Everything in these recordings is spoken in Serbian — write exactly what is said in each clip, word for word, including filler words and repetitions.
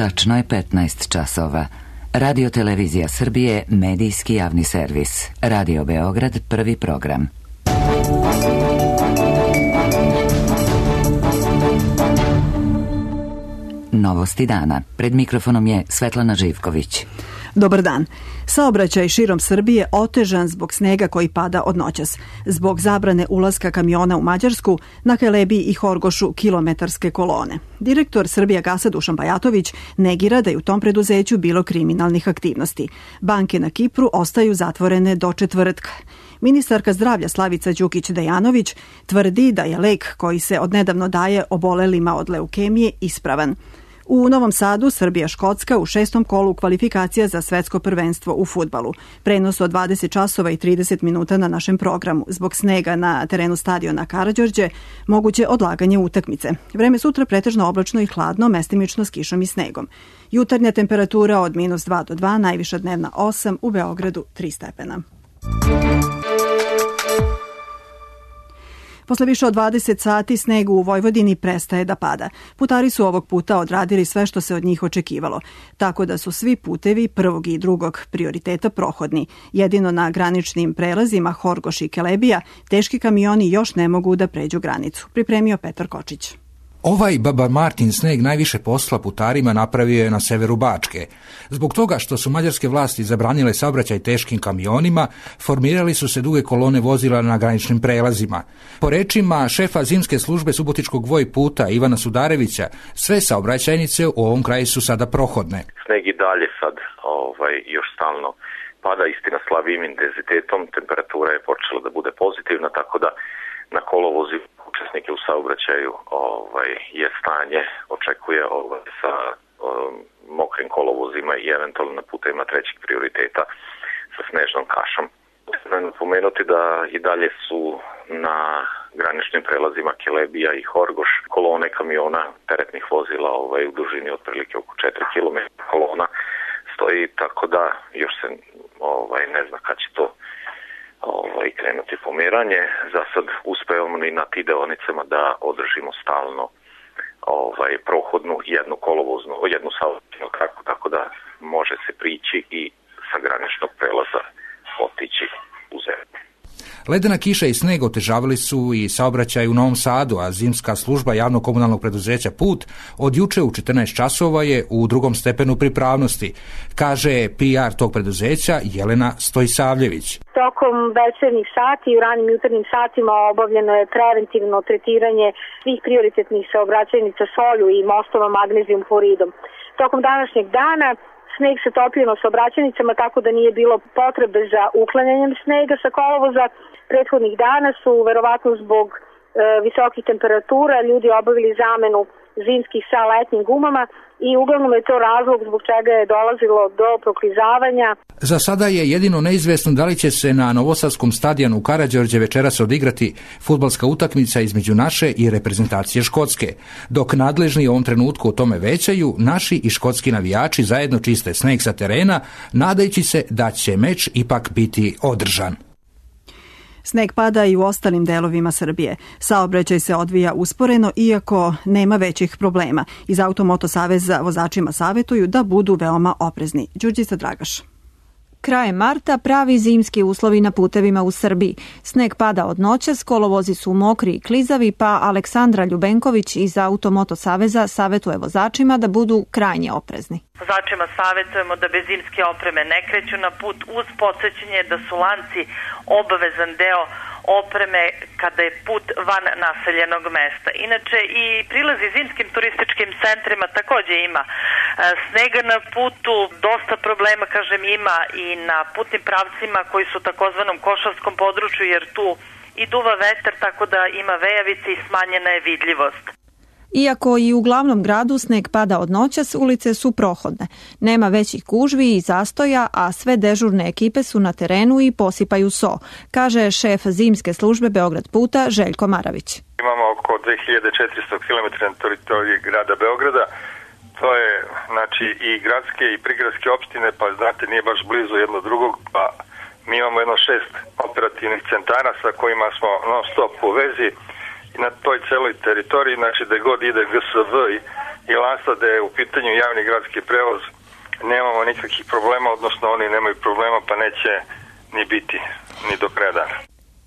Tačno je petnaest časova. Radio Televizija Srbije, medijski javni servis. Radio Beograd, prvi program. Novosti dana. Pred mikrofonom je Svetlana Živković. Dobar dan. Saobraćaj širom Srbije otežan zbog snega koji pada od noćas. Zbog zabrane ulaska kamiona u Mađarsku, na Kelebiji i Horgošu kilometarske kolone. Direktor Srbijagasa Dušan Bajatović negira da je u tom preduzeću bilo kriminalnih aktivnosti. Banke na Kipru ostaju zatvorene do četvrtka. Ministarka zdravlja Slavica Đukić-Dejanović tvrdi da je lek koji se odnedavno daje obolelima od leukemije ispravan. U Novom Sadu Srbija-Škotska u šestom kolu kvalifikacija za svetsko prvenstvo u fudbalu. Prenos od dvadeset časova i trideset minuta na našem programu. Zbog snega na terenu stadiona Karađorđe moguće odlaganje utakmice. Vreme sutra pretežno oblačno i hladno, mestimično s kišom i snegom. Jutarnja temperatura od minus dva do dva, najviša dnevna osam, u Beogradu tri stepena. Posle više od dvadeset sati sneg u Vojvodini prestaje da pada. Putari su ovog puta odradili sve što se od njih očekivalo, tako da su svi putevi prvog i drugog prioriteta prohodni. Jedino na graničnim prelazima Horgoš i Kelebija teški kamioni još ne mogu da pređu granicu. Pripremio Petar Kočić. Ovaj Baba Martin sneg najviše posla putarima napravio je na severu Bačke. Zbog toga što su mađarske vlasti zabranile saobraćaj teškim kamionima, formirali su se duge kolone vozila na graničnim prelazima. Po rečima šefa zimske službe Subotičkog Vojputa Ivana Sudarevića, sve saobraćajnice u ovom kraju su sada prohodne. Sneg i dalje sad ovaj, još stalno pada, istina slabijim intenzitetom, temperatura je počela da bude pozitivna, tako da na kolovozi učesnike u saobraćaju ovaj, je stanje, očekuje ovaj, sa um, mokrim kolovozima i eventualno na putevima trećeg prioriteta sa snežnom kašom. Napomenuti da i dalje su na graničnim prelazima Kelebija i Horgoš kolone kamiona teretnih vozila ovaj, u dužini otprilike oko četiri kilometra kolona stoji, tako da još se ovaj, ne zna kad će to ovaj, krenuti pomeranje. Za sad uspevamo i na ti deonicama da održimo stalno ovaj, prohodnu jednu kolovoznu, jednu saobraćajnu traku, tako da može se prići i sa graničnog prelaza otići u zemlju. Ledena kiša i sneg otežavali su i saobraćaj u Novom Sadu, a zimska služba javnog komunalnog preduzeća Put od juče u četrnaest časova je u drugom stepenu pripravnosti, kaže P R tog preduzeća Jelena Stojsavljević. Tokom večernjih sati i u ranim jutarnjim satima obavljeno je preventivno tretiranje svih prioritetnih saobraćajnica solju i mostova magnezijum hloridom. Tokom današnjeg dana sneg se topio na saobraćajnicama, tako da nije bilo potrebe za uklanjanjem snega sa kolovoza. Prethodnih dana su, verovatno zbog e, visokih temperatura, ljudi obavili zamenu zimskih sa letnjim gumama i uglavnom je to razlog zbog čega je dolazilo do proklizavanja. Za sada je jedino neizvesno da li će se na novosadskom stadionu u Karađorđe večeras odigrati fudbalska utakmica između naše i reprezentacije Škotske. Dok nadležni u ovom trenutku o tome većaju, naši i škotski navijači zajedno čiste sneg sa terena, nadajući se da će meč ipak biti održan. Sneg pada i u ostalim delovima Srbije. Saobraćaj se odvija usporeno, iako nema većih problema. Iz Automoto saveza vozačima savetuju da budu veoma oprezni. Đurđica Dragaš. Krajem marta pravi zimski uslovi na putevima u Srbiji. Sneg pada od noćas, kolovozi su mokri i klizavi, pa Aleksandra Ljubenković iz Automoto saveza savetuje vozačima da budu krajnje oprezni. Vozačima savetujemo da bez zimske opreme ne kreću na put, uz podsjećanje da su lanci obavezan deo opreme kada je put van naseljenog mesta. Inače i prilazi zimskim turističkim centrima također ima snega na putu, dosta problema kažem ima i na putnim pravcima koji su takozvanom košarskom području, jer tu i duva vetar, tako da ima vejavice i smanjena je vidljivost. Iako i u glavnom gradu sneg pada od noćas, ulice su prohodne. Nema većih gužvi i zastoja, a sve dežurne ekipe su na terenu i posipaju so, kaže šef zimske službe Beograd Puta Željko Maravić. Imamo oko dve hiljade četiristo kilometara na teritoriji grada Beograda. To je znači i gradske i prigradske opštine, pa znate nije baš blizu jedno drugog, pa mi imamo jedno šest operativnih centara sa kojima smo non stop u vezi. I na toj celoj teritoriji, znači da god ide G S V i Lansa da je u pitanju javni gradski prevoz nemamo nikakvih problema, odnosno oni nemaju problema pa neće ni biti ni do kraja dana.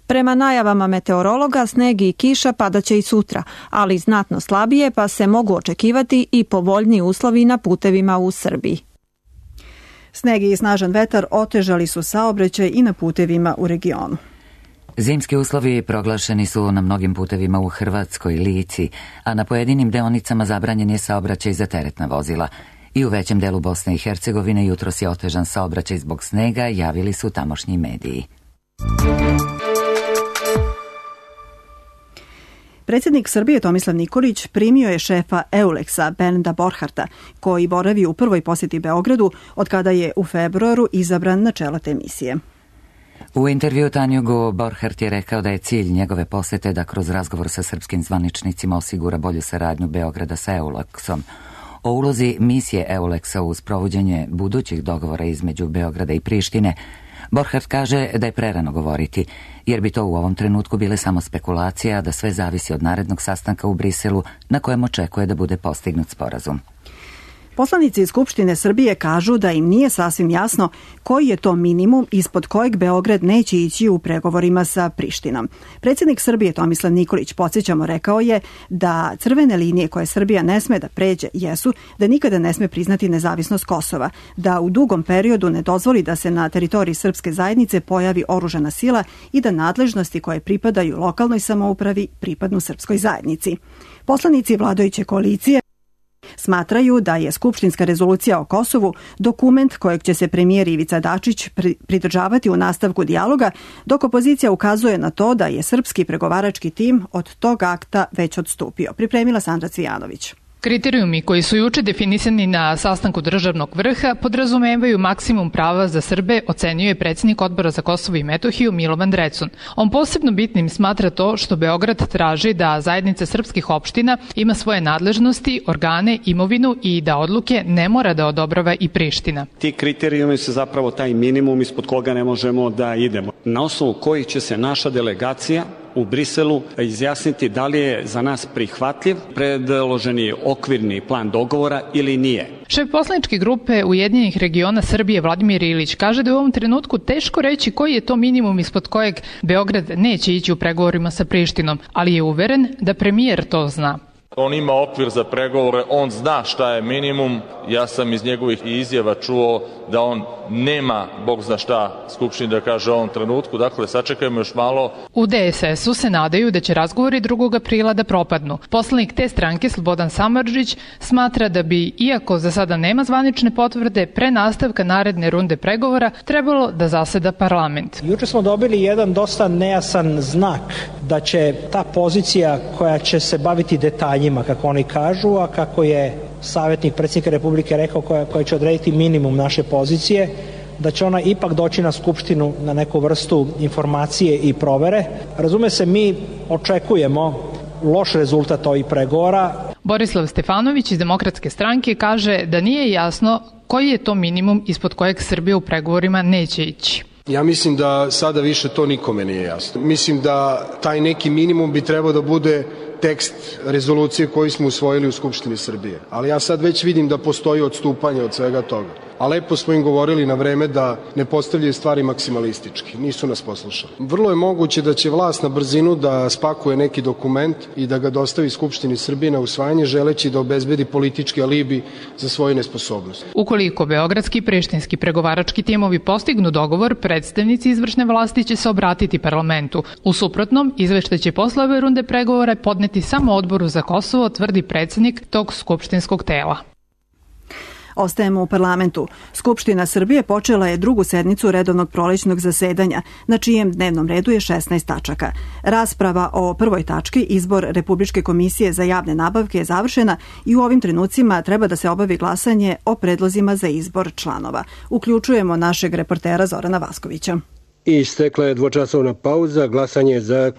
Prema najavama meteorologa, sneg i kiša padaće i sutra, ali znatno slabije, pa se mogu očekivati i povoljniji uslovi na putevima u Srbiji. Sneg i snažan vetar otežali su saobraćaj i na putevima u regionu. Zimski uslovi proglašeni su na mnogim putevima u Hrvatskoj, Lici, a na pojedinim deonicama zabranjen je saobraćaj za teretna vozila. I u većem delu Bosne i Hercegovine jutros je otežan saobraćaj zbog snega, javili su tamošnji mediji. Predsjednik Srbije Tomislav Nikolić primio je šefa Euleksa Bernda Borharta, koji boravi u prvoj posjeti Beogradu od kada je u februaru izabran na čelo te misije. U intervju Tanjugu Borhart je rekao da je cilj njegove posete da kroz razgovor sa srpskim zvaničnicima osigura bolju saradnju Beograda sa Euleksom. O ulozi misije Euleksa u sprovođenje budućih dogovora između Beograda i Prištine Borhart kaže da je prerano govoriti, jer bi to u ovom trenutku bile samo spekulacija, da sve zavisi od narednog sastanka u Briselu na kojem očekuje da bude postignut sporazum. Poslanici iz Skupštine Srbije kažu da im nije sasvim jasno koji je to minimum ispod kojeg Beograd neće ići u pregovorima sa Prištinom. Predsjednik Srbije Tomislav Nikolić, podsjećamo, rekao je da crvene linije koje Srbija ne sme da pređe jesu da nikada ne sme priznati nezavisnost Kosova, da u dugom periodu ne dozvoli da se na teritoriji srpske zajednice pojavi oružana sila i da nadležnosti koje pripadaju lokalnoj samoupravi pripadnu srpskoj zajednici. Poslanici vladajuće koalicije smatraju da je skupštinska rezolucija o Kosovu dokument kojeg će se premijer Ivica Dačić pridržavati u nastavku dijaloga, dok opozicija ukazuje na to da je srpski pregovarački tim od tog akta već odstupio. Pripremila Sandra Cvijanović. Kriterijumi koji su juče definisani na sastanku državnog vrha podrazumevaju maksimum prava za Srbe, ocenio je predsjednik Odbora za Kosovo i Metohiju Milovan Drecun. On posebno bitnim smatra to što Beograd traži da zajednica srpskih opština ima svoje nadležnosti, organe, imovinu i da odluke ne mora da odobrava i Priština. Ti kriterijumi su zapravo taj minimum ispod koga ne možemo da idemo. Na osnovu kojih će se naša delegacija u Briselu izjasniti da li je za nas prihvatljiv predloženi okvirni plan dogovora ili nije. Šef poslaničke grupe Ujedinjenih regiona Srbije Vladimir Ilić kaže da je u ovom trenutku teško reći koji je to minimum ispod kojeg Beograd neće ići u pregovorima sa Prištinom, ali je uveren da premijer to zna. On ima okvir za pregovore, on zna šta je minimum. Ja sam iz njegovih izjava čuo da on nema, Bog zna šta, Skupštini da kaže u ovom trenutku. Dakle, sačekajmo još malo. U D S S-u se nadaju da će razgovori drugog aprila da propadnu. Poslanik te stranke, Slobodan Samardžić, smatra da bi, iako za sada nema zvanične potvrde, pre nastavka naredne runde pregovora trebalo da zaseda parlament. Juče smo dobili jedan dosta nejasan znak da će ta pozicija koja će se baviti detaljima, kako oni kažu, a kako je savjetnik predsjednika Republike rekao, koja, koja će odrediti minimum naše pozicije, da će ona ipak doći na Skupštinu na neku vrstu informacije i provere. Razume se, mi očekujemo loš rezultat ovih pregovora. Borislav Stefanović iz Demokratske stranke kaže da nije jasno koji je to minimum ispod kojeg Srbija u pregovorima neće ići. Ja mislim da sada više to nikome nije jasno. Mislim da taj neki minimum bi trebao da bude tekst rezolucije koju smo usvojili u Skupštini Srbije. Ali ja sad već vidim da postoji odstupanje od svega toga. A lepo smo im govorili na vreme da ne postavljaju stvari maksimalistički. Nisu nas poslušali. Vrlo je moguće da će vlast na brzinu da spakuje neki dokument i da ga dostavi Skupštini Srbije na usvajanje, želeći da obezbedi politički alibi za svoju nesposobnost. Ukoliko beogradski i prištinski pregovarački timovi postignu dogovor, predstavnici izvršne vlasti će se obratiti parlamentu. U suprotnom, izveštaj će posle ove runde pregovora podneti samo Odboru za Kosovo, tvrdi predsjednik tog skupštinskog tela. Ostajemo u parlamentu. Skupština Srbije počela je drugu sednicu redovnog prolećnog zasedanja, na čijem dnevnom redu je šesnaest tačaka. Rasprava o prvoj tački, izbor Republičke komisije za javne nabavke, je završena i u ovim trenucima treba da se obavi glasanje o predlozima za izbor članova. Uključujemo našeg reportera Zorana Vaskovića. Istekla je dvočasovna pauza, glasanje je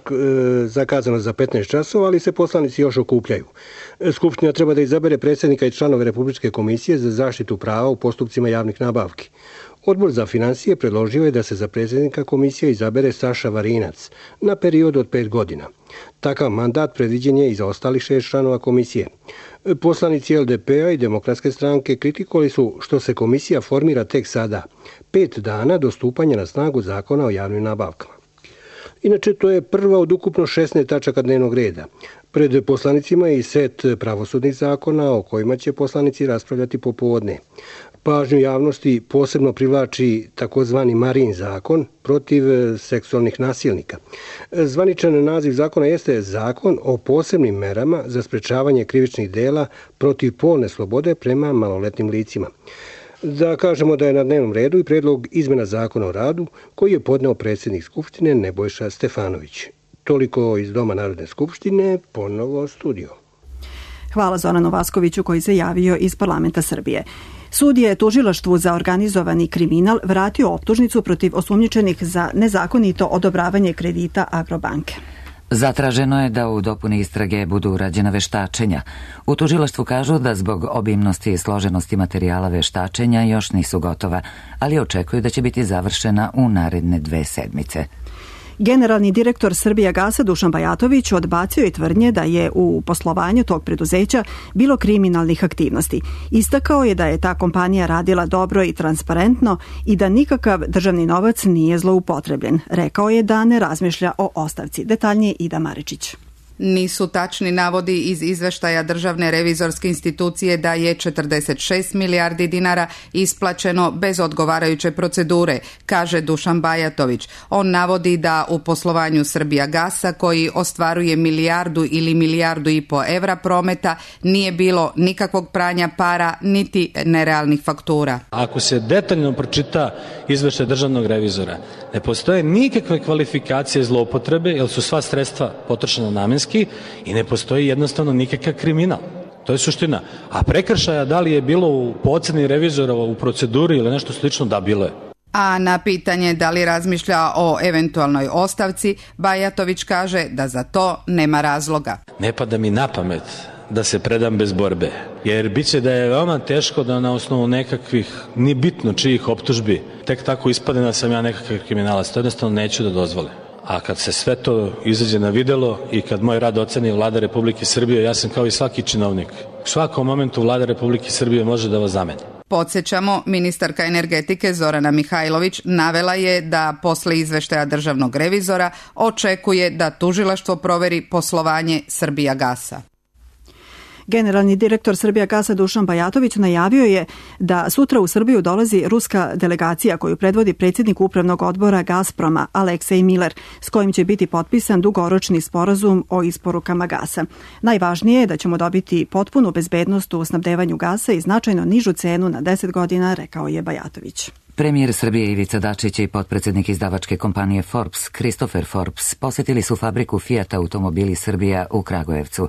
zakazano za petnaest časova, ali se poslanici još okupljaju. Skupština treba da izabere predsjednika i članove Republičke komisije za zaštitu prava u postupcima javnih nabavki. Odbor za financije predložio je da se za predsjednika komisije izabere Saša Varinac na period od pet godina. Takav mandat predviđen je i za ostalih šest članova komisije. Poslanici L D P-a i Demokratske stranke kritikovali su što se komisija formira tek sada, pet dana do stupanja na snagu zakona o javnim nabavkama. Inače, to je prva od ukupno šesnaest tačaka dnevnog reda. Pred poslanicima je i set pravosudnih zakona o kojima će poslanici raspravljati popodne. Pažnju javnosti posebno privlači takozvani Marin zakon protiv seksualnih nasilnika. Zvaničan naziv zakona jeste Zakon o posebnim merama za sprečavanje krivičnih dela protiv polne slobode prema maloletnim licima. Da kažemo da je na dnevnom redu i predlog izmena zakona o radu koji je podneo predsjednik Skupštine Nebojša Stefanović. Toliko iz Doma Narodne skupštine, ponovo studio. Hvala Zoranu Vaskoviću koji se javio iz parlamenta Srbije. Sud je tužilaštvu za organizovani kriminal vratio optužnicu protiv osumnjičenih za nezakonito odobravanje kredita Agrobanke. Zatraženo je da u dopuni istrage budu urađena veštačenja. U tužilaštvu kažu da zbog obimnosti i složenosti materijala veštačenja još nisu gotova, ali očekuju da će biti završena u naredne dve sedmice. Generalni direktor Srbijagasa Dušan Bajatović odbacio je tvrdnje da je u poslovanju tog preduzeća bilo kriminalnih aktivnosti. Istakao je da je ta kompanija radila dobro i transparentno i da nikakav državni novac nije zloupotrebljen. Rekao je da ne razmišlja o ostavci. Detaljnije Ida Maričić. Nisu tačni navodi iz izveštaja Državne revizorske institucije da je četrdeset šest milijardi dinara isplaćeno bez odgovarajuće procedure, kaže Dušan Bajatović. On navodi da u poslovanju Srbijagasa, koji ostvaruje milijardu ili milijardu i po evra prometa, nije bilo nikakvog pranja para niti nerealnih faktura. Ako se detaljno pročita izveštaj državnog revizora, ne postoje nikakve kvalifikacije zloupotrebe, jer su sva sredstva potrošena namenski i ne postoji jednostavno nikakav kriminal. To je suština. A prekršaja da li je bilo u oceni revizora u proceduri ili nešto slično, da bilo je. A na pitanje da li razmišlja o eventualnoj ostavci, Bajatović kaže da za to nema razloga. Ne pada mi na pamet da se predam bez borbe, jer bit će da je veoma teško da na osnovu nekakvih, nije bitno čijih optužbi, tek tako ispade da sam ja nekakav kriminalac. To jednostavno neću da dozvolim. A kad se sve to izađe na videlo i kad moj rad oceni Vlada Republike Srbije, ja sam kao i svaki činovnik. U svakom momentu Vlada Republike Srbije može da vas zameni. Podsjećamo, ministarka energetike Zorana Mihajlović navela je da posle izveštaja državnog revizora očekuje da tužilaštvo proveri poslovanje Srbijagasa. Generalni direktor Srbijagasa Dušan Bajatović najavio je da sutra u Srbiju dolazi ruska delegacija koju predvodi predsjednik upravnog odbora Gazproma Aleksej Miler, s kojim će biti potpisan dugoročni sporazum o isporukama gasa. Najvažnije je da ćemo dobiti potpunu bezbednost u snabdevanju gasa i značajno nižu cenu na deset godina, rekao je Bajatović. Premijer Srbije Ivica Dačić i potpredsjednik izdavačke kompanije Forbes, Christopher Forbes, posjetili su fabriku Fiat Automobili Srbija u Kragujevcu.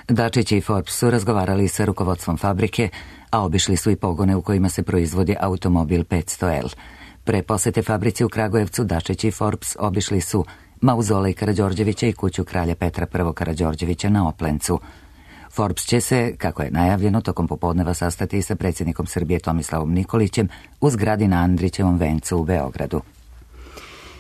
Dačić i Forbes su razgovarali sa rukovodstvom fabrike, a obišli su i pogone u kojima se proizvodi automobil petsto L. Pre posete fabrici u Kragujevcu, Dačić i Forbes obišli su mauzolej Karađorđevića i kuću kralja Petra I. Karađorđevića na Oplencu. Forbes će se, kako je najavljeno, tokom popodneva sastati sa predsjednikom Srbije Tomislavom Nikolićem u zgradi na Andrićevom vencu u Beogradu.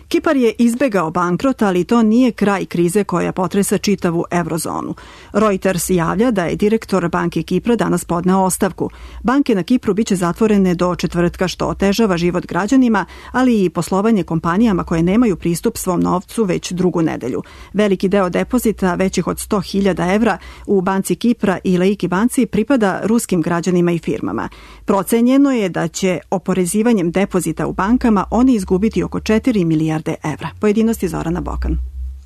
Kipar je izbegao bankrot, ali to nije kraj krize koja potresa čitavu eurozonu. Reuters javlja da je direktor banke Kipra danas podneo ostavku. Banke na Kipru biće zatvorene do četvrtka, što otežava život građanima, ali i poslovanje kompanijama koje nemaju pristup svom novcu već drugu nedelju. Veliki deo depozita, većih od sto hiljada evra, u banci Kipra i Laiki banci pripada ruskim građanima i firmama. Procenjeno je da će oporezivanjem depozita u bankama oni izgubiti oko četiri milijarde evra. Pojedinosti Zorana Bokan.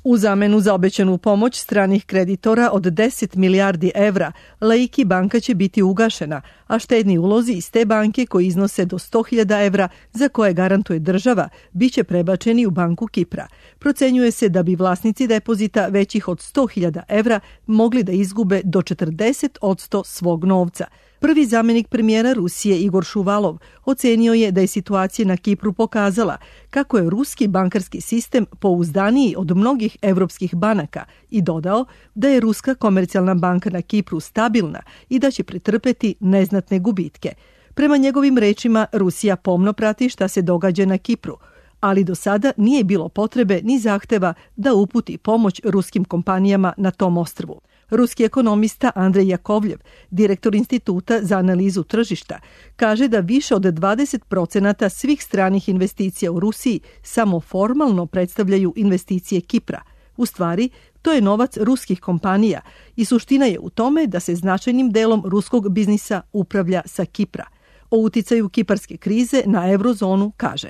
U zamenu za obećanu pomoć stranih kreditora od deset milijardi evra, Laiki banka će biti ugašena, a štedni ulozi iz te banke koji iznose do sto hiljada evra za koje garantuje država, bit će prebačeni u banku Kipra. Procenjuje se da bi vlasnici depozita većih od sto hiljada evra mogli da izgube do četrdeset posto svog novca. Prvi zamjenik premijera Rusije Igor Šuvalov ocenio je da je situacija na Kipru pokazala kako je ruski bankarski sistem pouzdaniji od mnogih evropskih banaka i dodao da je ruska komercijalna banka na Kipru stabilna i da će pretrpeti neznatne gubitke. Prema njegovim rečima, Rusija pomno prati šta se događa na Kipru, ali do sada nije bilo potrebe ni zahteva da uputi pomoć ruskim kompanijama na tom ostrvu. Ruski ekonomista Andrej Jakovljev, direktor Instituta za analizu tržišta, kaže da više od dvadeset procenata svih stranih investicija u Rusiji samo formalno predstavljaju investicije Kipra. U stvari, to je novac ruskih kompanija i suština je u tome da se značajnim delom ruskog biznisa upravlja sa Kipra. O uticaju kiparske krize na eurozonu kaže: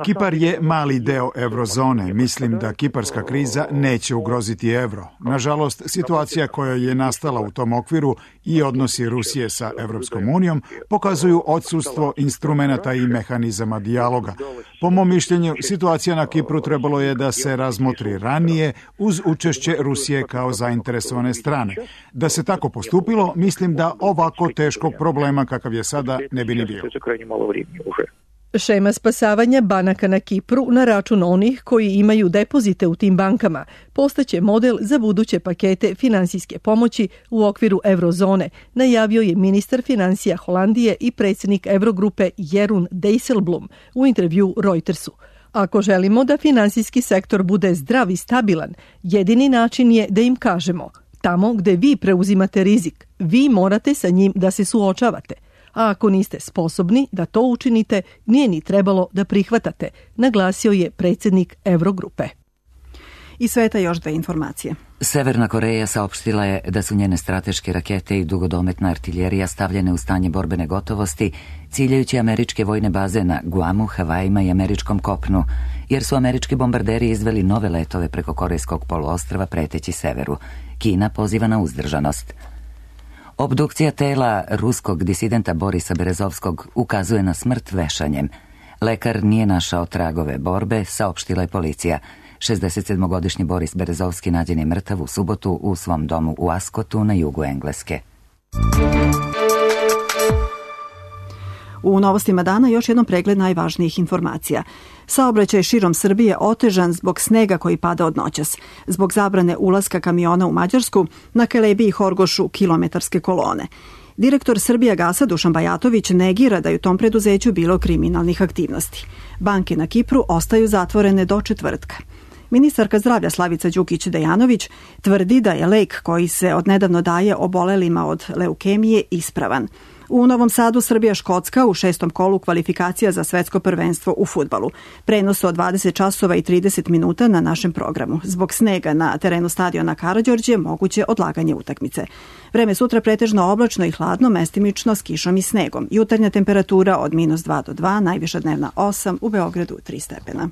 Kipar je mali deo eurozone. Mislim da kiparska kriza neće ugroziti evro. Nažalost, situacija koja je nastala u tom okviru i odnosi Rusije sa Evropskom unijom pokazuju odsustvo instrumenata i mehanizama dijaloga. Po mom mišljenju, situacija na Kipru trebalo je da se razmotri ranije uz učešće Rusije kao zainteresovane strane. Da se tako postupilo, mislim da ovako teškog problema kakav je sada ne bi ni bilo. Šema spasavanja banaka na Kipru na račun onih koji imaju depozite u tim bankama postaće model za buduće pakete finansijske pomoći u okviru eurozone, najavio je ministar finansija Holandije i predsjednik Eurogrupe Jeroen Dijsselbloem u intervju Reutersu. Ako želimo da finansijski sektor bude zdrav i stabilan, jedini način je da im kažemo: tamo gde vi preuzimate rizik, vi morate sa njim da se suočavate. A ako niste sposobni da to učinite, nije ni trebalo da prihvatate, naglasio je predsjednik Eurogrupe. I sveta još dve informacije. Severna Koreja saopštila je da su njene strateške rakete i dugodometna artiljerija stavljene u stanje borbene gotovosti, ciljajući američke vojne baze na Guamu, Havajima i američkom kopnu, jer su američki bombarderi izveli nove letove preko korejskog poluostrva preteći severu. Kina poziva na uzdržanost. Obdukcija tela ruskog disidenta Borisa Berezovskog ukazuje na smrt vešanjem. Lekar nije našao tragove borbe, saopštila je policija. šezdesetsedmogodišnji Boris Berezovski nađen je mrtav u subotu u svom domu u Askotu na jugu Engleske. U novostima dana još jednom pregled najvažnijih informacija. Saobraćaj širom Srbije otežan zbog snega koji pada od noćas. Zbog zabrane ulaska kamiona u Mađarsku, na Kelebi i Horgošu kilometarske kolone. Direktor Srbijagasa Dušan Bajatović negira da je u tom preduzeću bilo kriminalnih aktivnosti. Banke na Kipru ostaju zatvorene do četvrtka. Ministarka zdravlja Slavica Đukić-Dejanović tvrdi da je lek koji se odnedavno daje obolelima od leukemije ispravan. U Novom Sadu Srbija-Škotska u šestom kolu kvalifikacija za svetsko prvenstvo u fudbalu. Prenos od dvadeset časova i trideset minuta na našem programu. Zbog snega na terenu stadiona Karađorđe moguće odlaganje utakmice. Vreme sutra pretežno oblačno i hladno, mestimično s kišom i snegom. Jutarnja temperatura od minus dva do dva, najviša dnevna osam, u Beogradu tri stepena.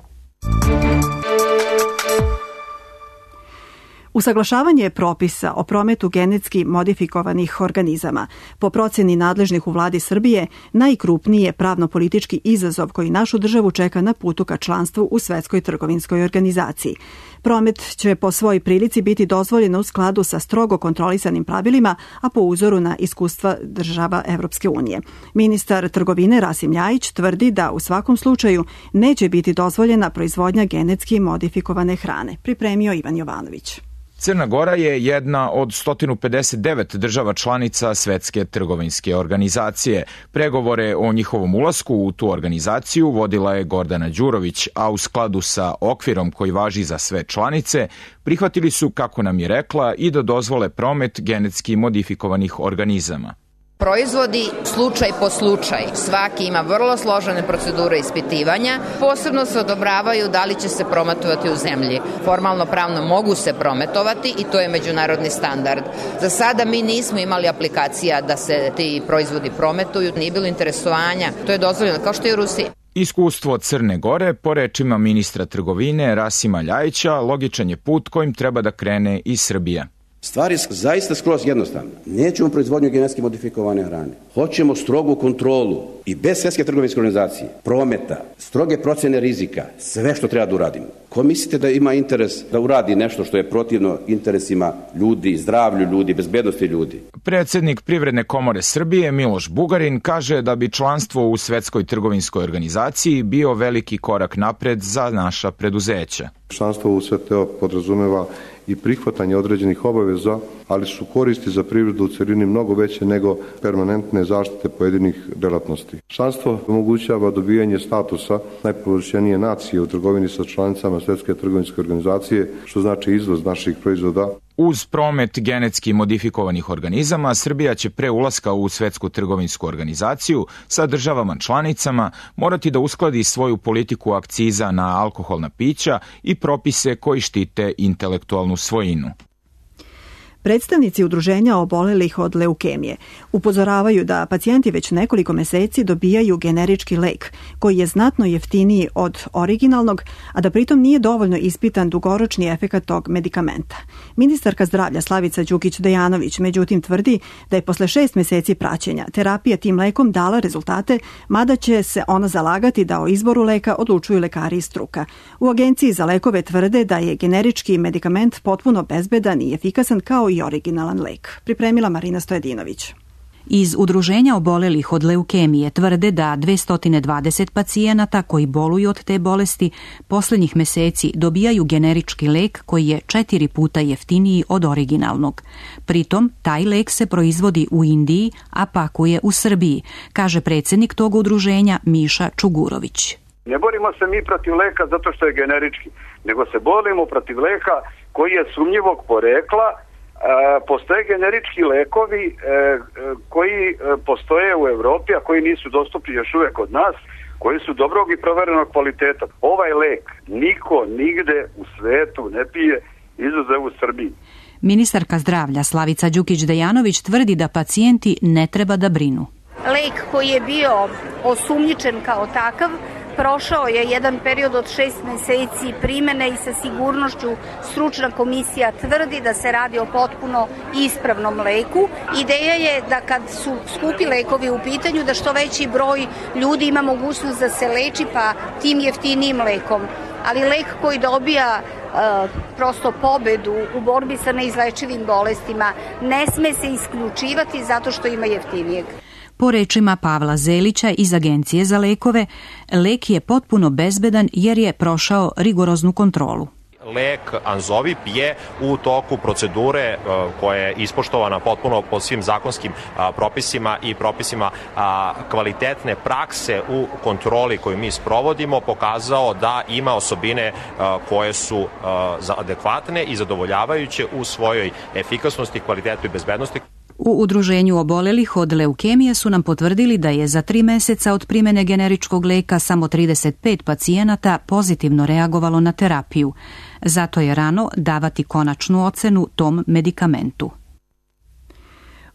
Usaglašavanje propisa o prometu genetski modifikovanih organizama, po proceni nadležnih u vladi Srbije, najkrupniji je pravno-politički izazov koji našu državu čeka na putu ka članstvu u Svetskoj trgovinskoj organizaciji. Promet će po svojoj prilici biti dozvoljen u skladu sa strogo kontrolisanim pravilima, a po uzoru na iskustva država Evropske unije. Ministar trgovine Rasim Ljajić tvrdi da u svakom slučaju neće biti dozvoljena proizvodnja genetski modifikovane hrane. Pripremio Ivan Jovanović. Crna Gora je jedna od sto pedeset devet država članica Svetske trgovinske organizacije. Pregovore o njihovom ulasku u tu organizaciju vodila je Gordana Đurović, a u skladu sa okvirom koji važi za sve članice, prihvatili su, kako nam je rekla, i da dozvole promet genetski modifikovanih organizama. Proizvodi slučaj po slučaj. Svaki ima vrlo složene procedure ispitivanja. Posebno se odobravaju da li će se prometovati u zemlji. Formalno pravno mogu se prometovati i to je međunarodni standard. Za sada mi nismo imali aplikacija da se ti proizvodi prometuju, nije bilo interesovanja. To je dozvoljeno, kao što je u Rusiji. Iskustvo Crne Gore, po rečima ministra trgovine Rasima Ljajića, logičan je put kojim treba da krene i Srbija. Stvar je zaista skroz jednostavna. Nećemo proizvodnju genetski modifikovane hrane. Hoćemo strogu kontrolu i bez Svetske trgovinske organizacije, prometa, stroge procene rizika, sve što treba da uradimo. Ko mislite da ima interes da uradi nešto što je protivno interesima ljudi, zdravlju ljudi, bezbednosti ljudi? Predsjednik Privredne komore Srbije Miloš Bugarin kaže da bi članstvo u Svetskoj trgovinskoj organizaciji bio veliki korak napred za naša preduzeća. Članstvo u sve to podrazumeva i prihvatanje određenih obaveza, ali su koristi za privredu u celini mnogo veće nego permanentne zaštite pojedinih delatnosti. Članstvo omogućava dobijanje statusa najpovlašćenije nacije u trgovini sa članicama Svetske trgovinske organizacije, što znači izvoz naših proizvoda. Uz promet genetski modifikovanih organizama, Srbija će pre ulaska u Svetsku trgovinsku organizaciju sa državama članicama morati da uskladi svoju politiku akciza na alkoholna pića i propise koji štite intelektualnu svojinu. Predstavnici udruženja obolelih od leukemije upozoravaju da pacijenti već nekoliko meseci dobijaju generički lek koji je znatno jeftiniji od originalnog, a da pritom nije dovoljno ispitan dugoročni efekat tog medikamenta. Ministarka zdravlja Slavica Đukić-Dejanović međutim tvrdi da je posle šest meseci praćenja terapija tim lekom dala rezultate, mada će se ona zalagati da o izboru leka odlučuju lekari i struka. U Agenciji za lekove tvrde da je generički medikament potpuno bezbedan i efikasan kao i originalan lek. Pripremila Marina Stojedinović. Iz udruženja obolelih od leukemije tvrde da dvesta dvadeset pacijenata koji boluju od te bolesti poslednjih meseci dobijaju generički lek koji je četiri puta jeftiniji od originalnog. Pritom, taj lek se proizvodi u Indiji, a pakuje u Srbiji, kaže predsjednik tog udruženja Miša Čugurović. Ne borimo se mi protiv leka zato što je generički, nego se borimo protiv leka koji je sumnjivog porekla. E, postoje generički lekovi e, koji postoje u Evropi, a koji nisu dostupni još uvek kod nas, koji su dobrog i proverenog kvaliteta. Ovaj lek niko nigde u svetu ne pije, izuzev u Srbiji. Ministarka zdravlja Slavica Đukić-Dejanović tvrdi da pacijenti ne treba da brinu. Lek koji je bio osumnjičen kao takav prošao je jedan period od šest meseci primene i sa sigurnošću stručna komisija tvrdi da se radi o potpuno ispravnom leku. Ideja je da kad su skupi lekovi u pitanju da što veći broj ljudi ima mogućnost da se leči pa tim jeftinijim lekom. Ali lek koji dobija uh, prosto pobedu u borbi sa neizlečivim bolestima ne sme se isključivati zato što ima jeftinijeg. Po rečima Pavla Zelića iz Agencije za lekove, lek je potpuno bezbedan jer je prošao rigoroznu kontrolu. Lek Anzovip je u toku procedure koja je ispoštovana potpuno po svim zakonskim propisima i propisima kvalitetne prakse u kontroli koju mi sprovodimo pokazao da ima osobine koje su adekvatne i zadovoljavajuće u svojoj efikasnosti, kvalitetu i bezbednosti. U udruženju obolelih od leukemije su nam potvrdili da je za tri meseca od primene generičkog leka samo trideset pet pacijenata pozitivno reagovalo na terapiju. Zato je rano davati konačnu ocenu tom medikamentu.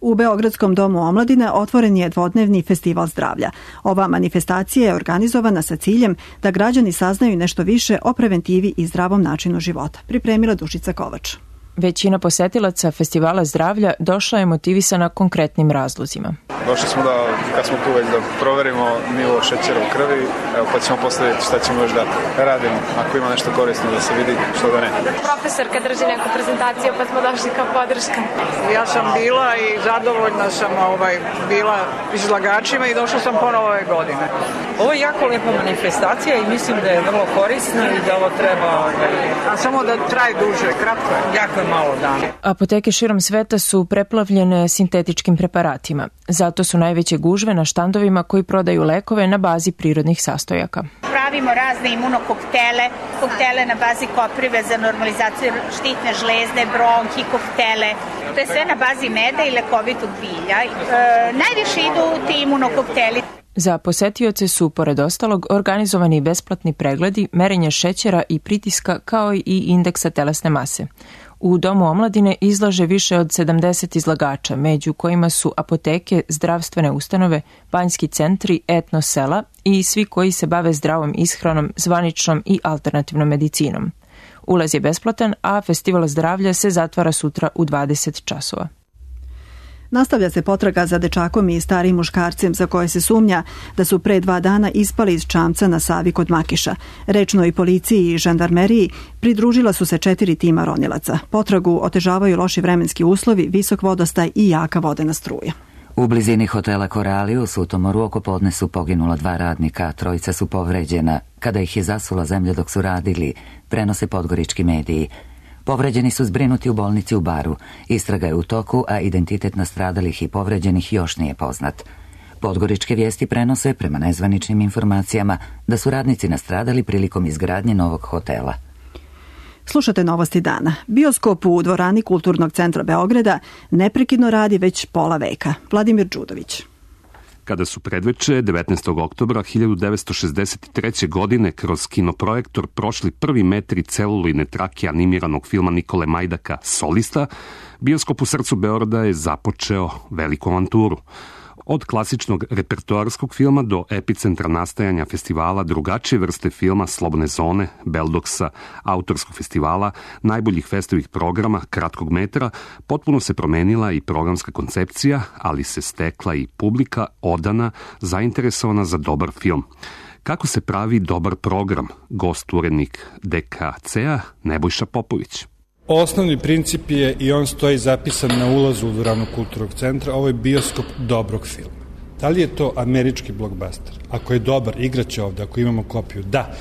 U Beogradskom domu omladine otvoren je dvodnevni festival zdravlja. Ova manifestacija je organizovana sa ciljem da građani saznaju nešto više o preventivi i zdravom načinu života. Pripremila Dušica Kovač. Većina posetilaca festivala zdravlja došla je motivisana konkretnim razlozima. Došli smo da, kad smo tu već da proverimo nivo šećera u krvi, evo, pa ćemo posle vidjeti šta ćemo još da radimo, ako ima nešto korisno da se vidi, što da ne. Profesorka drži neku prezentaciju, pa smo došli kao podrška. Ja sam bila i zadovoljna sam ovaj, bila izlagačima i došla sam ponovo ove godine. Ovo je jako lepa manifestacija i mislim da je vrlo korisna i da ovo treba... Ovaj... A samo da traje duže, kratko je. Jako je malo dana. Apoteke širom sveta su preplavljene sintetičkim preparatima. Zato su najveće gužve na štandovima koji prodaju lekove na bazi prirodnih sastojaka. Pravimo razne imunokoktele, koktele na bazi koprive za normalizaciju štitne žlezde, bronhi, koktele. To je sve na bazi meda i lekovitog bilja. E, najviše idu ti imunokokteli. Za posetioce su, pored ostalog, organizovani besplatni pregledi, merenje šećera i pritiska kao i indeksa telesne mase. U Domu omladine izlaže više od sedamdeset izlagača, među kojima su apoteke, zdravstvene ustanove, banjski centri, etno sela i svi koji se bave zdravom ishranom, zvaničnom i alternativnom medicinom. Ulaz je besplatan, a festival zdravlja se zatvara sutra u dvadeset časova. Nastavlja se potraga za dečakom i starijim muškarcem za koje se sumnja da su pre dva dana ispali iz čamca na Savi kod Makiša. Rečnoj policiji i žandarmeriji pridružila su se četiri tima ronilaca. Potragu otežavaju loši vremenski uslovi, visok vodostaj i jaka vodena struja. U blizini hotela Korali u Sutomoru oko podne su poginula dva radnika, trojica su povređena kada ih je zasula zemlja dok su radili, prenose podgorički mediji. Povređeni su zbrinuti u bolnici u Baru. Istraga je u toku, a identitet nastradalih i povređenih još nije poznat. Podgoričke vijesti prenose, prema nezvaničnim informacijama, da su radnici nastradali prilikom izgradnje novog hotela. Slušate Novosti dana. Bioskop u dvorani Kulturnog centra Beograda neprekidno radi već pola veka. Vladimir Đudović. Kada su predveče devetnaestog oktobra hiljadu devetsto šezdeset treće. godine kroz kinoprojektor prošli prvi metri celuloidne trake animiranog filma Nikole Majdaka Solista, bioskop u srcu Beograda je započeo veliku avanturu. Od klasičnog repertoarskog filma do epicentra nastajanja festivala drugačije vrste filma, slobodne zone, Beldoksa, autorskog festivala, najboljih festovih programa, kratkog metra, potpuno se promenila i programska koncepcija, ali se stekla i publika odana, zainteresovana za dobar film. Kako se pravi dobar program? Gost urednik D K C-a Nebojša Popović. Osnovni princip je, i on stoji zapisan na ulazu u dvoranu Kulturnog centra, ovo je bioskop dobrog filma. Da li je to američki blockbuster? Ako je dobar, igraće ovde, ako imamo kopiju, da.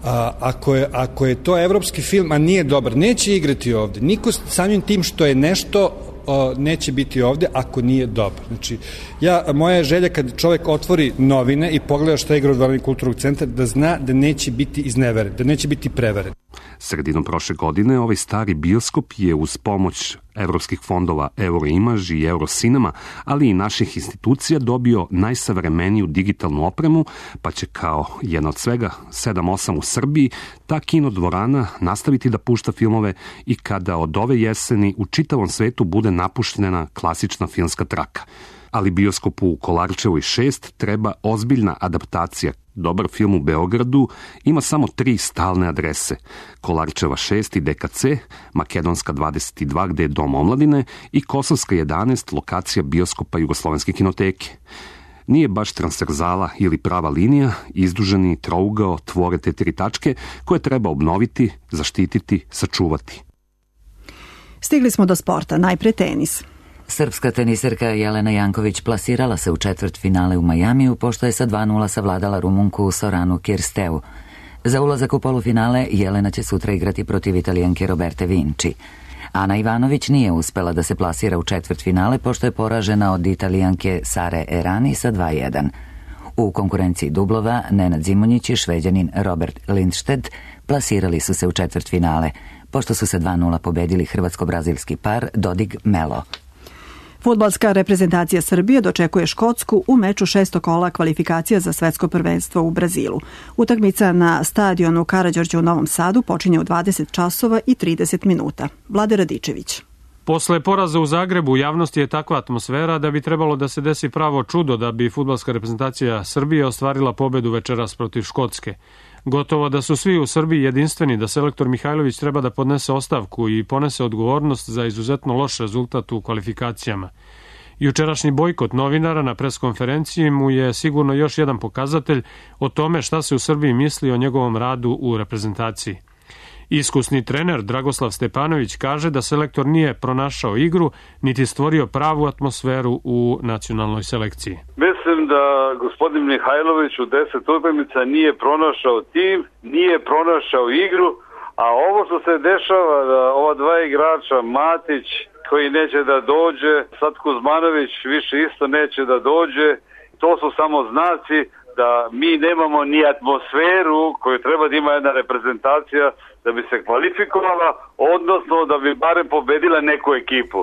A, ako, je, ako je to evropski film, a nije dobar, neće igrati ovde. Niko samim tim što je nešto o, neće biti ovde ako nije dobar. Znači, ja, moja je želja kad čovek otvori novine i pogleda šta igra u dvorani Kulturnog centra, da zna da neće biti izneveren, da neće biti preveren. Sredinom prošle godine ovaj stari bioskop je uz pomoć evropskih fondova Euroimage i Eurocinema, ali i naših institucija dobio najsavremeniju digitalnu opremu, pa će kao jedna od svega sedam osam u Srbiji ta kino dvorana nastaviti da pušta filmove i kada od ove jeseni u čitavom svetu bude napuštena klasična filmska traka. Ali bioskopu u Kolarčevoj šest treba ozbiljna adaptacija. Dobar film u Beogradu ima samo tri stalne adrese. Kolarčeva šest i D K C, Makedonska dvadeset dva gde je Dom omladine i Kosovska jedanaest, lokacija bioskopa Jugoslovenske kinoteke. Nije baš transverzala ili prava linija, izduženi trougao tvore te tri tačke koje treba obnoviti, zaštititi, sačuvati. Stigli smo do sporta, najpre tenis. Srpska teniserka Jelena Janković plasirala se u četvrt finale u Majamiju, pošto je sa dva nula savladala Rumunku Soranu Kirsteu. Za ulazak u polufinale Jelena će sutra igrati protiv Italijanke Roberte Vinci. Ana Ivanović nije uspela da se plasira u četvrt finale, pošto je poražena od Italijanke Sare Errani sa dva jedan. U konkurenciji dublova Nenad Zimonjić i Šveđanin Robert Lindstedt plasirali su se u četvrt finale, pošto su se dva nula pobedili hrvatsko-brazilski par Dodig Melo. Fudbalska reprezentacija Srbije dočekuje Škotsku u meču šestog kola kvalifikacija za svetsko prvenstvo u Brazilu. Utakmica na stadionu Karađorđe u Novom Sadu počinje u dvadeset časova i trideset minuta. Vlade Radičević. Posle poraza u Zagrebu u javnosti je takva atmosfera da bi trebalo da se desi pravo čudo da bi fudbalska reprezentacija Srbije ostvarila pobedu večeras protiv Škotske. Gotovo da su svi u Srbiji jedinstveni da selektor Mihajlović treba da podnese ostavku i ponese odgovornost za izuzetno loš rezultat u kvalifikacijama. Jučerašnji bojkot novinara na preskonferenciji mu je sigurno još jedan pokazatelj o tome šta se u Srbiji misli o njegovom radu u reprezentaciji. Iskusni trener Dragoslav Stepanović kaže da selektor nije pronašao igru, niti stvorio pravu atmosferu u nacionalnoj selekciji. Mislim da gospodin Mihajlović u deset utakmica nije pronašao tim, nije pronašao igru, a ovo što se dešava da ova dva igrača, Matić koji neće da dođe, sad Kuzmanović više isto neće da dođe, to su samo znaci da mi nemamo ni atmosferu koju treba da ima jedna reprezentacija da bi se kvalifikovala, odnosno da bi barem pobedila neku ekipu.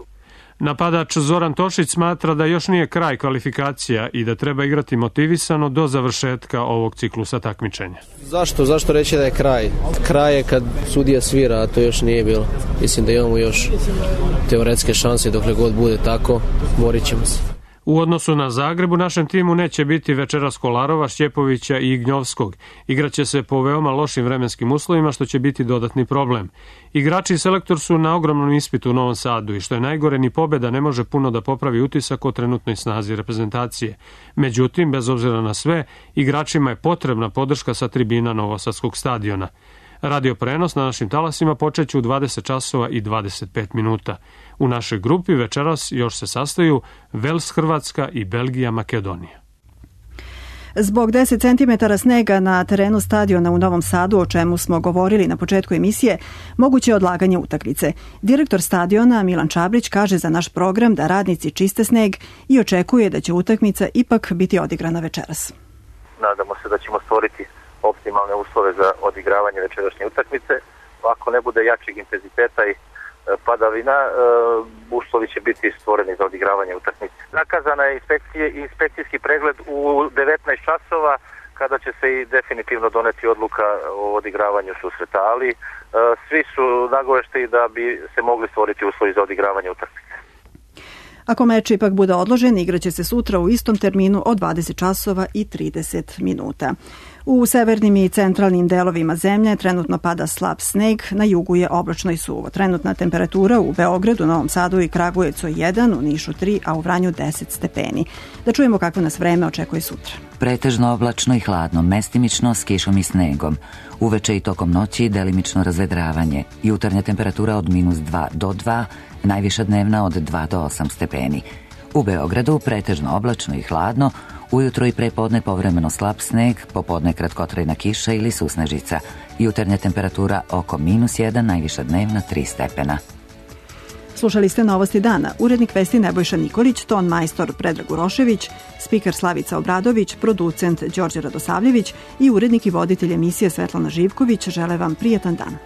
Napadač Zoran Tošić smatra da još nije kraj kvalifikacija i da treba igrati motivisano do završetka ovog ciklusa takmičenja. Zašto? Zašto reći da je kraj? Kraj je kad sudija svira, a to još nije bilo. Mislim da imamo još teoretske šanse, dokle god bude tako, borit ćemo se. U odnosu na Zagreb u našem timu neće biti večeras Kolarova, Šćepovića i Ignjovskog. Igraće se po veoma lošim vremenskim uslovima, što će biti dodatni problem. Igrači i selektor su na ogromnom ispitu u Novom Sadu i što je najgore, ni pobeda ne može puno da popravi utisak o trenutnoj snazi reprezentacije. Međutim, bez obzira na sve, igračima je potrebna podrška sa tribina Novosadskog stadiona. Radio prenos na našim talasima počeće u dvadeset časova i dvadeset pet minuta. U našoj grupi večeras još se sastaju Vels Hrvatska i Belgija Makedonija. Zbog deset centimetara snega na terenu stadiona u Novom Sadu, o čemu smo govorili na početku emisije, moguće je odlaganje utakmice. Direktor stadiona Milan Čabrić kaže za naš program da radnici čiste sneg i očekuje da će utakmica ipak biti odigrana večeras. Nadamo se da ćemo stvoriti optimalne uslove za odigravanje večerašnje utakmice. Ako ne bude jačeg intenziteta i padavina, uslovi će biti stvoreni za odigravanje utakmice. Zakazana je inspekcijski pregled u devetnaest časova, kada će se i definitivno doneti odluka o odigravanju susreta, ali svi su nagovešteni da bi se mogli stvoriti uslovi za odigravanje utakmice. Ako meč ipak bude odložen, igraće se sutra u istom terminu od dvadeset časova i trideset minuta. U severnim i centralnim delovima zemlje trenutno pada slab sneg, na jugu je oblačno i suvo. Trenutna temperatura u Beogradu, Novom Sadu i Kragujevcu jedan, u Nišu tri, a u Vranju deset stepeni. Da čujemo kako nas vreme očekuje sutra. Pretežno oblačno i hladno, mestimično s kišom i snegom. Uveče i tokom noći delimično razvedravanje. Jutarnja temperatura od minus dva do dva, najviša dnevna od dva do osam stepeni. U Beogradu pretežno oblačno i hladno, ujutro i prepodne povremeno slab sneg, popodne kratkotrajna kiša ili susnežica. Jutarnja temperatura oko minus jedan, najviša dnevna tri stepena. Slušali ste Novosti dana. Urednik vesti Nebojša Nikolić, ton majstor Predrag Urošević, spiker Slavica Obradović, producent Đorđe Radosavljević i urednik i voditelj emisije Svetlana Živković žele vam prijetan dan.